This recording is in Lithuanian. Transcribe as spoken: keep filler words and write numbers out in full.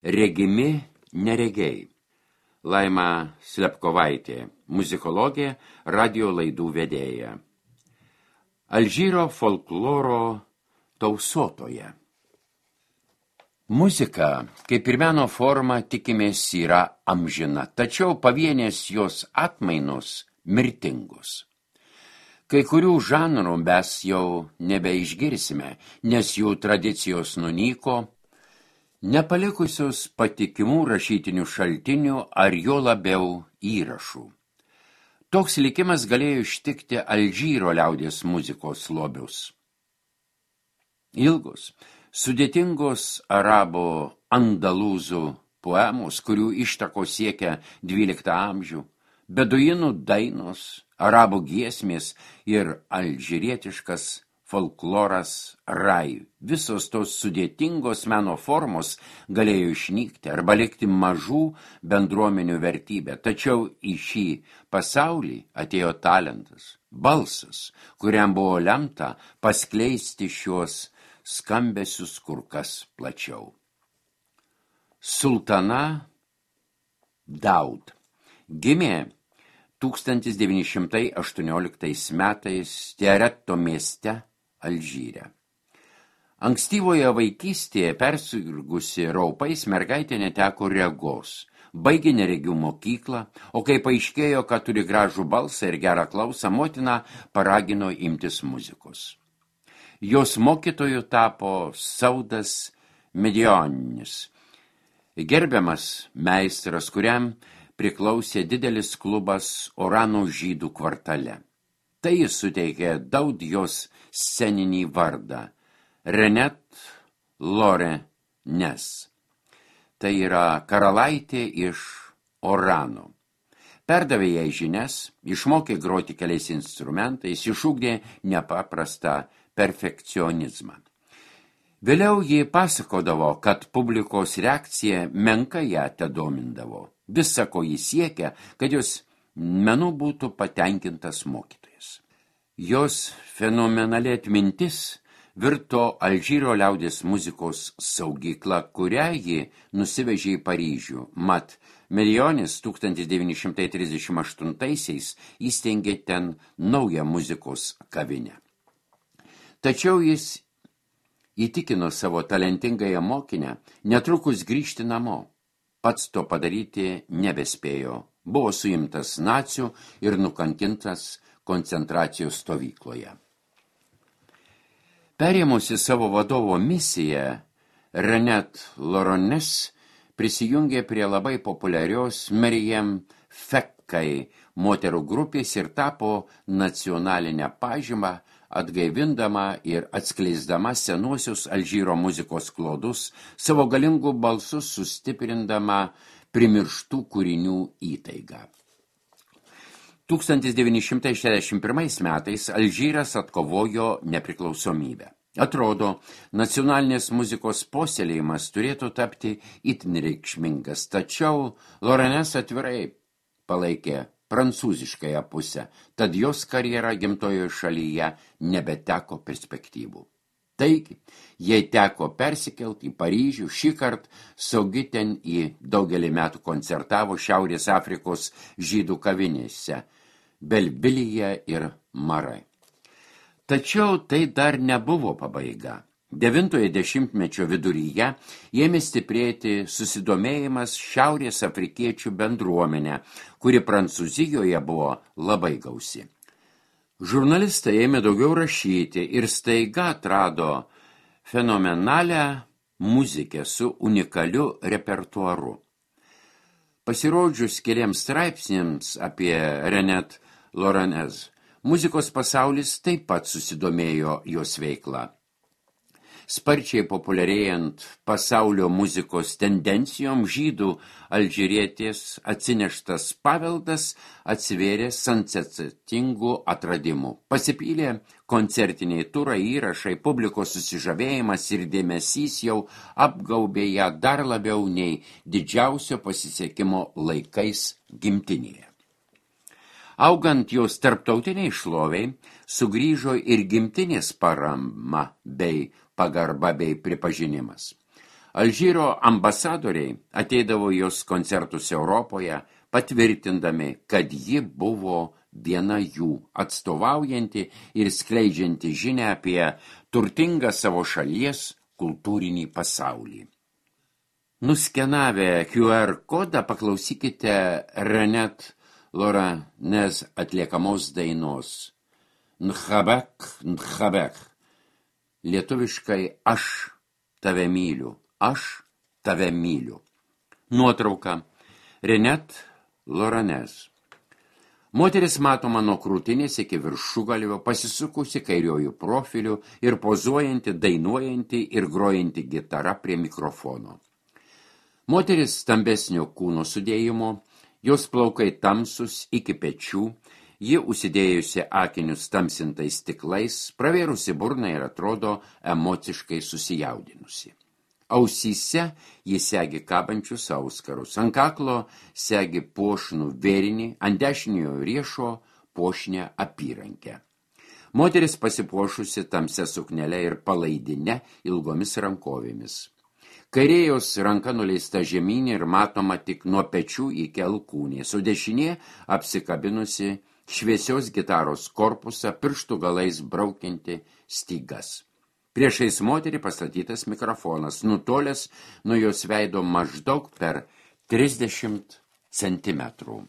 Regimi neregiai. Laima Slepkovaitė, muzikologė, radio laidų vedėja. Alžyro folkloro tausotoja. Muzika, kaip ir meno forma, tikimės yra amžina, tačiau pavienės jos atmainos mirtingos. Kai kurių žanrų mes jau nebeišgirsime, nes jų tradicijos nunyko, nepalikusios patikimų rašytinių šaltinių ar jo labiau įrašų. Toks likimas galėjo ištikti Alžyro liaudies muzikos lobius. Ilgos, sudėtingos arabų andalūzų poemos, kurių ištakos siekia dvyliktą amžių, beduinų dainos, arabų giesmės ir alžyrietiškas folkloras rai. Visos tos sudėtingos meno formos galėjo išnykti arba likti mažų bendruomenių vertybę. Tačiau į šį pasaulį atėjo talentas, balsas, kuriam buvo lemta paskleisti šios skambesius kur kas plačiau. Sultana Daud gimė tūkstantis devyni šimtai aštuonioliktais metais Tiaretto mieste Alžyre. Ankstyvoje vaikystėje persirgusi raupais mergaitė neteko regos, baigė neregių mokyklą, o kai paaiškėjo, kad turi gražų balsą ir gerą klausą, motina paragino imtis muzikos. Jos mokytoju tapo Saudas Medionis, gerbiamas meistras, kuriam priklausė didelis klubas Orano žydų kvartale. Tai jis suteikė Daud jos sceninį vardą Renet Lorenes. Tai yra karalaitė iš Orano. Perdavė jai žinias, išmokė groti keliais instrumentais, išugdė nepaprastą perfekcionizmą. Vėliau ji pasakodavo, kad publikos reakcija menka ją tedomindavo. Visa, ko jis siekia, kad jos menu būtų patenkintas mokytojas. Jos fenomenali atmintis virto Alžyro liaudies muzikos saugykla, kurią ji nusivežė į Paryžių. Mat, Medionis tūkstantis devyni šimtai trisdešimt aštuntaisiais įsteigė ten naują muzikos kavinę. Tačiau jis įtikino savo talentingąją mokinę netrukus grįžti namo. Pats to padaryti nebespėjo. Buvo suimtas nacių ir nukankintas koncentracijos stovykloje. Perėmusi savo vadovo misiją, Renet Lorenes prisijungė prie labai populiarios Meriem Fekkai moterų grupės ir tapo nacionalinę pažymą, atgaivindama ir atskleisdama senuosius Alžyro muzikos klodus, savo galingų balsus sustiprindama primirštų kūrinių įtaigą. tūkstantis devyni šimtai šešiasdešimt pirmais metais Alžyras atkovojo nepriklausomybę. Atrodo, nacionalinės muzikos puoselėjimas turėtų tapti itin reikšmingas, tačiau Lorenes atvirai palaikė prancūziškąją pusę, tad jos karjera gimtojoje šalyje nebeteko perspektyvų. Taigi, jai teko persikelti į Paryžių, šį kartą saugi ten į daugelį metų koncertavo Šiaurės Afrikos žydų kavinėse, Belbilyje ir Marai. Tačiau tai dar nebuvo pabaiga. Devintojo dešimtmečio viduryje ėmė stiprėti susidomėjimas Šiaurės afrikiečių bendruomenė, kuri Prancūzijoje buvo labai gausi. Žurnalistai ėmė daugiau rašyti ir staiga atrado fenomenalią muzikę su unikaliu repertuaru. Pasirodžius keliems straipsniams apie Renet Lorenes, muzikos pasaulis taip pat susidomėjo jos veiklą. Sparčiai populiarėjant pasaulio muzikos tendencijom, žydų alžyrietės atsineštas paveldas atsivėrė sensatingų atradimų. Pasipylė koncertiniai turai, įrašai, publikos susižavėjimas ir dėmesys jau apgaubė ją dar labiau nei didžiausio pasisekimo laikais gimtinėje. Augant jos tarptautiniai šloviai, sugrįžo ir gimtinės parama bei pagarba bei pripažinimas. Alžyro ambasadoriai ateidavo jos koncertus Europoje, patvirtindami, kad ji buvo viena jų, atstovaujanti ir skleidžianti žinią apie turtingą savo šalies kultūrinį pasaulį. Nuskenavę Q R kodą paklausykite Renet Loranez atliekamos dainos Nhabek, Nhabek. Lietuviškai aš tave myliu, aš tave myliu. Nuotrauka Renet Loranez. Moteris matoma nuo krūtinės iki viršugalvio, pasisukusi kairiojų profiliu ir pozuojanti, dainuojanti ir grojanti gitara prie mikrofono. Moteris stambesnio kūno sudėjimo, jos plaukai tamsus iki pečių, ji užsidėjusi akinius tamsintais stiklais, pravėrusi burną ir atrodo emociškai susijaudinusi. Ausyse jis segi kabančius auskarus, ant kaklo segi puošnų vėrinį, ant dešiniojo riešo puošnę apyrankę. Moteris pasipuošusi tamsia suknele ir palaidine ilgomis rankovėmis. Kairėjos ranka nuleista žemyn ir matoma tik nuo pečių iki alkūnės, o dešinė apsikabinusi šviesios gitaros korpusą, pirštų galais braukianti stygas. Priešais moterį pastatytas mikrofonas, nutolęs nuo jos veido maždaug per trisdešimt centimetrų.